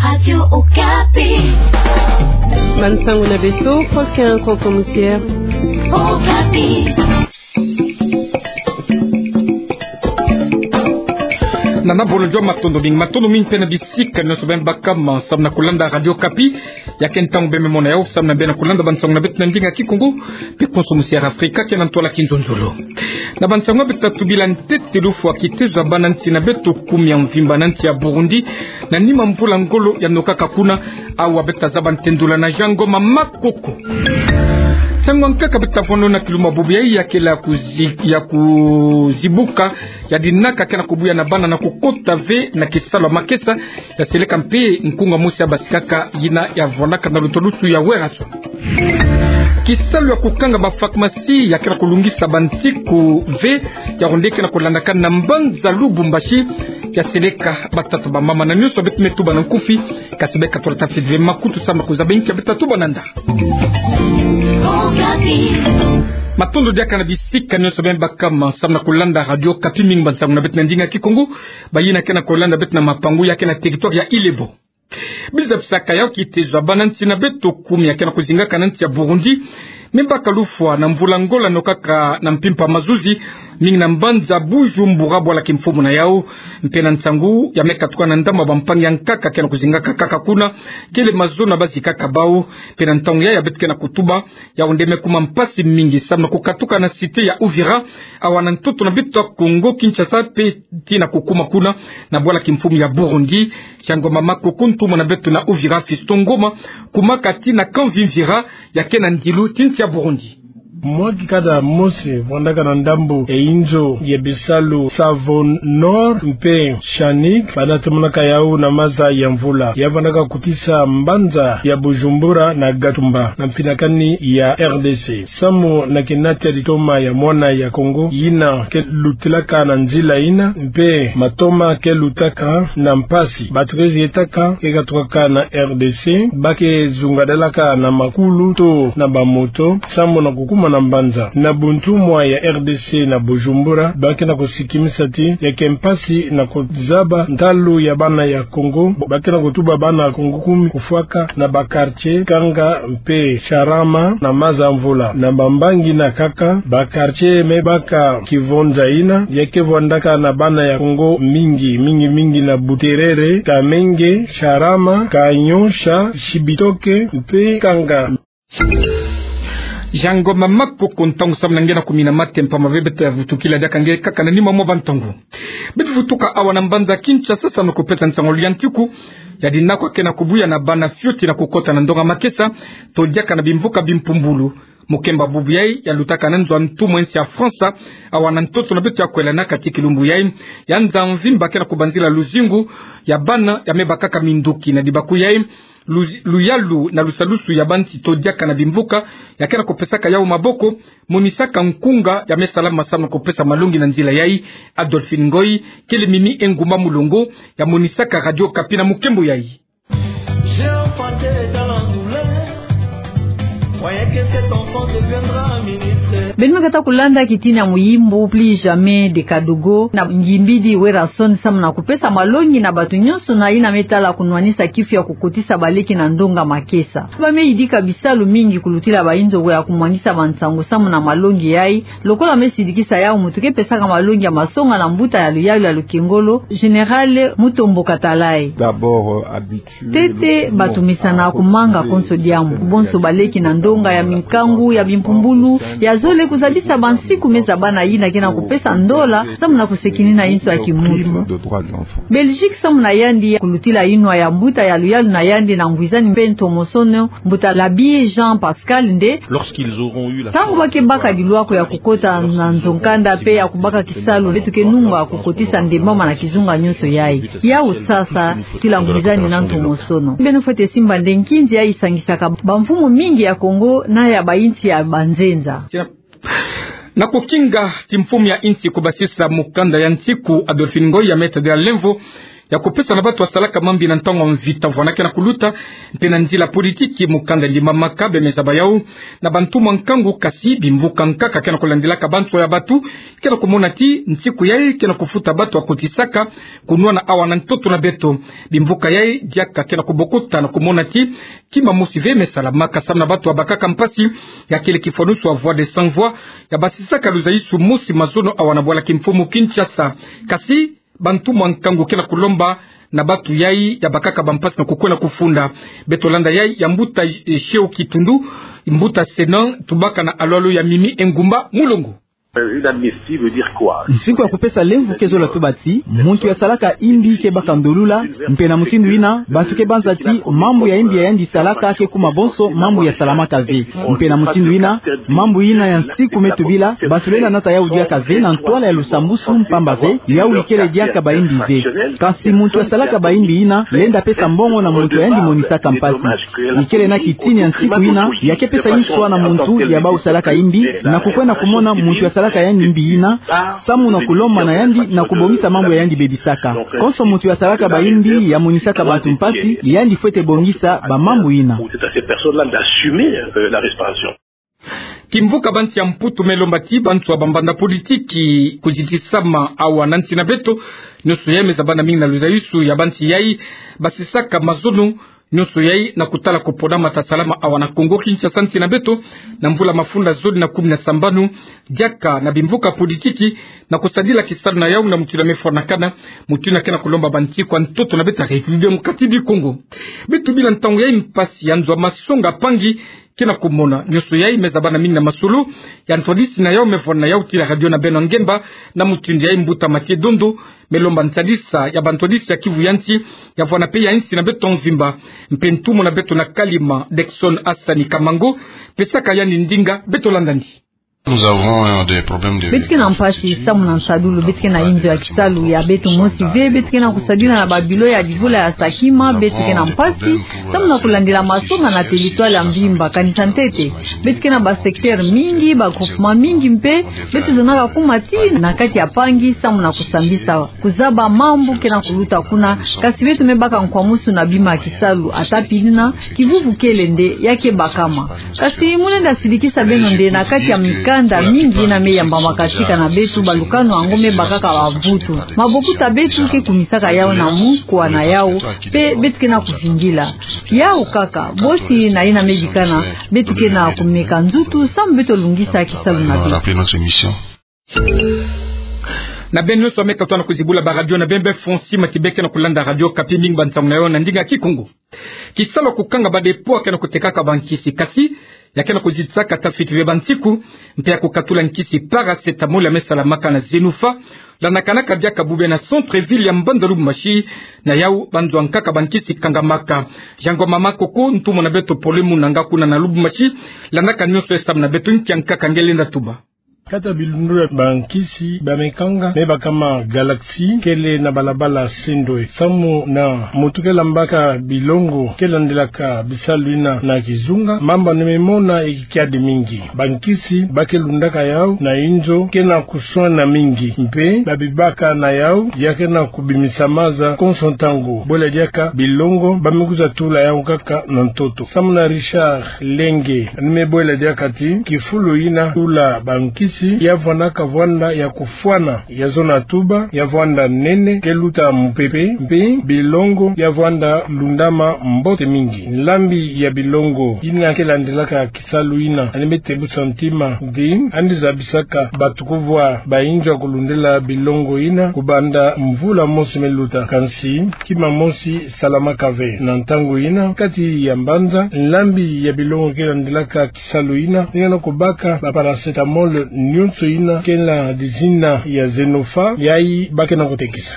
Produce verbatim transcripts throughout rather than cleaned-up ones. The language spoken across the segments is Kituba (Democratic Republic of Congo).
Radio Okapi. Bansango na beto, Faustin Konso Musière. Okapi. Nana bolo jua matondo mingi, matondo mingi mpe na bisika nyonso beno baka ma samu na kulanda Radio Okapi. Ya ke ntangu beno me mona yawu samu na beno kulanda bansango na beto na ndinga Kikongo mpe Konso Musière Afrika, ke na ntwala kinzonzolo. Na bansango beto ta tubila ntete, lufwa kitezo ya bana nsi na beto kumi ya mvimba na nsi ya Burundi, na nima mvula ngolo ya nokaka kuna, awa beto ta zaba ntendula na Jean Ngoma Makoko. Nsangu ya nkaka beto ta vwando na kilumbu bubu yayi ya kele ya kuzi-, ya kuzibuka, ya dinaka ke na kubuya na bana na kukota ve na kisalu ya makesa, ya seleka mpe nkunga mosi ya basikaka yina ya vwandaka na lutwalusu ya Werrason. Kisalu ya kukanga ba pharmacie ya ke na kulungisa bansiku ve, yawu nde ke na kulandakana na mbanza Lubumbashi, ya seleka batata bamama na nyonso beto me tuba na nkufi, kasi beka tula tafiti ve makutu samu na kuzaba inki ya beto ta tuba na nda. Matondo diaka na bisika nyonso beno baka ma samu na kulanda Radio Okapi, mingi bansango na beto na ndinga Kikongo, bayina ke na kulanda beto na mapangu ya ke na territoire ya Ilebo. Biza bisaka yawu kitezo ya bana nsi na beto kumi ya ke na kuzingaka na nsi ya Burundi, me baka lufwa na mvula ngolo ya nokaka na mpimpa mazuzi, mingi na mbanza Bujumbura, bwala kimfumu na yawu. Mpe na nsangu ya me katuka na ndambu ya bampangi ya nkaka ke na kuzingaka kaka kuna, kele mazono ya bazikaka bawu. Mpe na ntangu yayi ya beto ke na kutuba, yawu nde me kuma mpasi mingi samu na kukatuka na cité ya Uvira, awa na ntoto na beto ya Kongo Kinshasa, mpe tii na kukuma kuna na bwala kimfumu ya Burundi. Jean Ngoma Makoko, ntumwa na beto na Uvira Fiston Ngoma, kumaka tii na Kavimvira, ya ke na ndilu ti nsi ya Burundi. Mwa kikata mosi vwandaka na ndambu ya inzo ya bisalu Savo Nord mpe Chanik, bana tomonaka yawu na maza ya mvula, ya vwandaka kotisa mbanza ya Bujumbura na Gatumba, na mpinakani ya R D C. Samu na kinati ya litoma ya mwana ya Kongo yina ke lutilaka na nzila yina, mpe matoma ke lutaka na mpasi. Ba treize etaka ke katukaka na R D C, ba ke zungadalaka na makulu to na bamoto samu na kukuma na mbanza. Na buntumwa ya R D C na Bujumbura, ba ke na kusikimisa ti ya ke mpasi na kuzaba ntalu ya bana ya Kongo. Ba ke na kutuba bana ya Kongo kumi kufwaka na ba quartier Kanga mpe Charama na maza mvula. Na bambangi na nkaka, ba quartier me baka kivonza yina, ya ke vwandaka na bana ya Kongo mingi, mingi, mingi na Buterere, Kamenge, Charama, Kanyosha, Chibitoke mpe Kanga. Jean Ngoma Makoko, ntangu samu na nge na kumina mateya mpamba ve. Beto ta vutukila diaka nge kaka na nima mwa bantangu. Beto vutuka awa na mbanza Kinshasa samu na kupesa nsangu ya ntiku ya dinaka ke na kubuya na bana fioti na kukota na ndonga makesa, to diaka na bimvuka bimpumbulu. Mukemba bubu yayi ya lutaka na nzo ya ntumwa ya nsi ya France, awa na ntoto na beto ya kwela na kati kilumbu yayi ya nza mvimba ke na kubanzila luzingu ya bana ya me bakaka minduki na dibaku yayi. Luzi-, luyalu na lusalusu ya bansi to diaka na bimvuka ya ke na kupesaka yawu maboko, monisaka nkunga ya me salama samu na kupesa malongi na nzila yayi. Adolphine Ngoyi, kele mimi engumba mulongo, ya monisaka Radio Okapi na mukembo yayi. J'ai enfanté dans la douleur. Croyez que cet enfant deviendra un ministre. Beno me kata kulanda kitini ya muyimbu Plus jamais de Kadogo na ngimbidi Werrason samu na kupesa malongi na bato nyonso na yina me tala kunwanisa kifu ya kukotisa baleki na ndonga makesa. Ba me yidika bisalu mingi kulutila ba inzo ya kumwangisa bansangu samu na malongi yayi, lokola me sidikisa yawu mutu ke pesaka malongi ya masonga na mbuta ya luyalu ya lukengolo, Général Mutombo Katalayi. D'abord, euh, habitué. Ntete, bato mesana kumanga konso diambu, bonso baleki na ndonga ya minkangu ya bimpumbulu ya zole, kuzabisa bansiku me zabana yina ke na kupesa ndola samu na kusekinina inso ya kimuntu. Belgique samu na yandi, kulutila yinwa ya mbuta ya luyalu na yandi na ngwizani mpe ntomosono, mbuta Labi Jean Pascal nde. Lorsqu'ils auront eu la... Ntangu ba ke baka dilwako ya kukota na nzo-nkanda mpe ya kubaka kisalu, beto ke nunga kukotisa ndembama na kizunga nyonso yayi. Yawu sasa, tila ngwizani na ntomosono. Beno fwete simba nde nkinzi yayi isangisaka bamfumu mingi ya Kongo na ya bayinsi ya banzenza. Na kukinga timfumu ya insi kubasisa mukanda ya nsiku, Adolphine Ngoyi ya me tadila lemvo ya kupesa na batu ya salaka mambi na ntangu ya mvita mvwama ke na kuluta, mpe na nzila politiki mukanda ndimamaka bie me zaba yau na bantu mwa nkangu. Kasi bimvuka nkaka ke na kulandilaka banso ya batu ke na kumona ti nsiku yai ke na kufuta batu ya kotisaka kunwana awa na ntoto na beto. Bimvuka yai diaka ke na kubokota na kumona ti kima mosi ve me salamaka samu na batu ya bakaka mpasi. Ya kele kifwanusu ya Voix des Sans Voix ya basisaka luzaisu mosi mazono awa na bwala kimfumu Kinshasa. Kasi bantu mwa nkangu ke na kulomba na batu yai ya bakaka bampasi na kukwenda kufunda. Beto landa yai ya mbuta, eh, Sheo Kitundu, mbuta Senan, tubaka na alwalu ya Mimi Engumba Mulongo. Euh, inadmissible de dire quoi ? Nsiku ya kupesa lemvo ke zola tuba ti muntu ya salaka imbi ke baka ndolula, mpe na mutindu yina bantu ke banza ti mambu ya imbi ya yandi salaka ke kuma bonso mambu ya salamaka ve. Mpe na mutindu yina, mambu yina ya nsiku me tubila, bantu lenda nata yau diaka ve na ntwala ya lusambusu, mpamba ve yau ikele diaka ba imbi ve. Kasi muntu ya salaka ba imbi yina lenda pesa mbongo na muntu ya yandi monisaka mpasi. Ikele na kitini ya nsiku yina ya ke pesa nswa na muntu ya bau salaka imbi, na kukwenda kumona muntu ya salaka yandi imbi yina samu na kulomba na yandi na kubongisa mambu ya yandi bebisaka. Konso muntu ya salaka ba imbi ya monisaka bantu mpasi, yandi fwete bongisa ba mambu yina. C'est à ces personnes-là d'assumer, euh, la réparation. Kimvuka bansi ya Mputu me lomba ti banso ya bambanda politiki kuzitisama awa na nsi na beto. Nionso yai me zabana mingi na luzaisu ya bansi yai basisaka mazono. Nionso yai na kutala kuponama ta salama awa na Kongo Kinshasa, nsi na beto, na mvula mafunda zole na kumi na sambanu, diaka na bimvuka politiki na kusadila kisalu na yau na mutindu ya me fwanakana, mutindu ya ke na kulomba bansi kwa ntoto na beto ya République Démocratique du Congo. Beto bila ntangu yai mpasi ya nzo ya masonga mpangi ke na kumona. Nionso yai me zabana mingi na masolo ya ntwadisi na yau me vwanda na yau ti la radio na beno ya ngemba, na mutindu yai mbuta Mathieu Dondo me lomba ntadisa ya bantwadisi ya kivu ya nsi, ya vwanda mpe ya nsi na beto mvimba. Mpe ntumwa na beto na Kalima, Dexon Asani Kamango, pesaka yandi ndinga. Beto landa ndi. Nous avons, euh, des problèmes de... Beto ke na mpasi samu na nsadulu, beto ke na inzo ya kisalu ya beto mosi ve, beto ke na kusadila na ba bilo ya divula ya sakima, beto ke na mpasi samu na kulandila masonga na territoire ya mvimba, kanisa ntete. Beto ke na ba secteur mingi, ba groupement mingi mpe, beto zonaka kuma ti na kati ya mpangi samu na kusambisa, kuzaba mambu ke na kuluta kuna. Kasi beto me baka nkwamusu na bima ya kisalu, ata pili na kivuvu kele nde ya ke bakama. Kasi mu lenda sidikisa beno nde na kati ya mikanda mingi yina me yambamaka sika na beto, balukanu yango me bakaka ba vutu. Mabokuta beto ke kumisaka yau na mukwa na yau, mpe beto ke na kuvingila yau kaka. Bosi na yina me bikana, beto ke na kumeka nzutu samu beto lungisa kisalu na beto. Na beno nionso ya me katuka na kuzibula ba radio na beno, beno fo nsi mati, beno ke na kulanda Radio Okapi. Mingi ba nsangu na yau na ndinga ya Kikongo. Kisalu ya kukanga ba dépôt ya ke na kutekaka ba nkisi, kasi ya ke na kuzitisaka ta fiti ve ba nsiku, mpe ya kukatula nkisi paracétamol ya me salamaka na Zenoufa, landakanaka diaka bobia na centre-ville ya mbanza Lubumbashi. Na yau ba nzo ya nkaka ba nkisi kangamaka. Jean Ngoma Makoko, ntumwa na beto Paul-Muna nga kuna na Lubumbashi, landaka nionso yai samu na beto. Nki ya nkaka nge lenda tuba? Kati ya bilundula ya ba nkisi ba me kanga me bakama Galaxie, kele na balabala Sendwe. Samu na muntu ke lambaka bilongo, ke landilaka bisalu yina na kizunga, mamba ni me mona e kiadi mingi. Ba nkisi ba ke lundaka yau na inzo ke na kuswana mingi, mpe ba bibaka na yau ya ke na kubimisa maza konso ntangu. Bwela diaka bilongo ba me kwiza tula yau kaka na ntoto. Samu na Richard Lenge, ni me bwela diaka ti kifulu yina tula ba nkisi ya vwanaka vwanda ya kufwana, ya zona tuba, ya vwanda nene, ke luta mupepe, mpe bilongo ya vwanda lundama mbote mingi. Nlambi ya bilongo yina ke landilaka kisalu yina, ni me tebusa ntima, nde andi zabisaka batu kuvwa ba inzo ya kulundila bilongo yina kubanda mvula mosi me luta. Kansi kima mosi salamaka ve. Na ntangu yina, kati ya mbanza, nlambi ya bilongo ke landilaka kisalu yina, ni ke na kubaka ba paracétamol nionso yina ke na dizina ya Zenoufa, yai ba ke na kutekisa.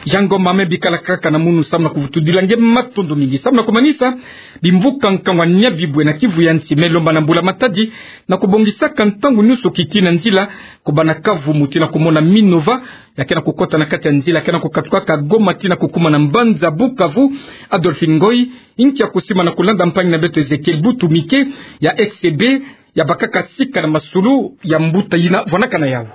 Jean Ngoma, me bikala kaka na munu samu na kuvutudila nge matondo mingi. Samu na kumanisa, bimvuka nkangu ya Nyabibwe na Kivu ya nsi me lomba na Mbula Matadi na kubongisaka ntangu nionso kiki na nzila, kubanda Kavumu tii na kumona Minova, ya ke na kukota na kati ya nzila ke na kukatukaka Goma tii na kukuma na mbanza Bukavu. Adolphine Ngoy, inki ya kusimbana kulanda mpangi na beto Ezekiel Butumike ya X C B, ya bakaka sika na masolo ya mbuta yina vwanaka na yau?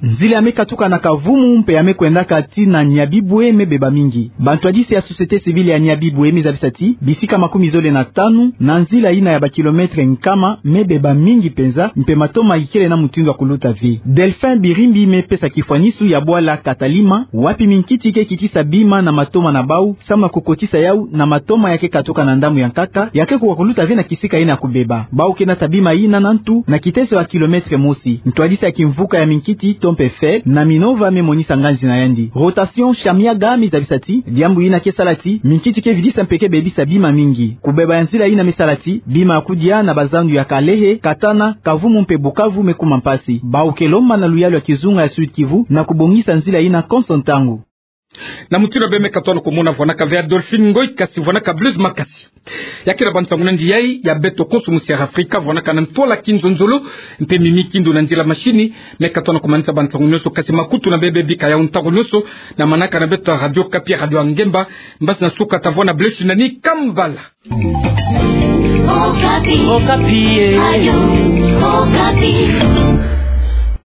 Nzila ya me katuka na Kavumu mpe ya me kwendaka tii na Nyabibwe me beba mingi. Bantwadisi ya société civile ya Nyabibwe me zabisa ti bisika makumi zole na tanu na nzila yina ya ba kilomètre nkama me beba mingi mpenza, mpe matoma ikele na mutindu ya kuluta ve. Delphin Birimbi me pesa kifwanisu ya bwala Katalima, wapi minkiti ke kitisa bima na matoma na bau, samu na kukotisa yau na matoma ya ke katuka na ndambu ya nkaka, ya ke kuwa kuluta ve na kisika yina ya kubeba. Bau ke nata bima yina na ntu na kiteso ya kilomètre mosi. Ntwadisi ya kimvuka ya minkiti, to mpe FED, na Minova me monisa nganzi na yandi. Rotation Shamiaga me zabisa ti diambu yina ke sala ti minkiti ke vidisa mpe ke bebisa bima mingi. Kubeba ya nzila yina me sala ti bima ya kudia na bazandu ya Kalehe, Katana, Kavumu mpe Bukavu me kuma mpasi. Bau ke lomba na luyalu ya kizunga ya Sud-Kivu na kubongisa nzila yina konso ntangu. Na mutindu bê, me katuka na kumona vwanaka ve Adolphine Ngoy, kasi vwanaka Blaise Makasi. Ya kira ba nsangu nandi yai ya beto konso mu Sierra Africa, vwanaka na ntwala kinzonzolo, mpe mimi kindu na nzila mashini. Me katuka na kumanisa ba nsangu nyonso, kasi makutu na bê bebika yau ntangu nyonso na manaka na beto Radio Okapi, radio ya ngemba. Mbasi na suka, tavwanda, Blaise nani, kambala. Okapi. Okapi, eh. Radio Okapi.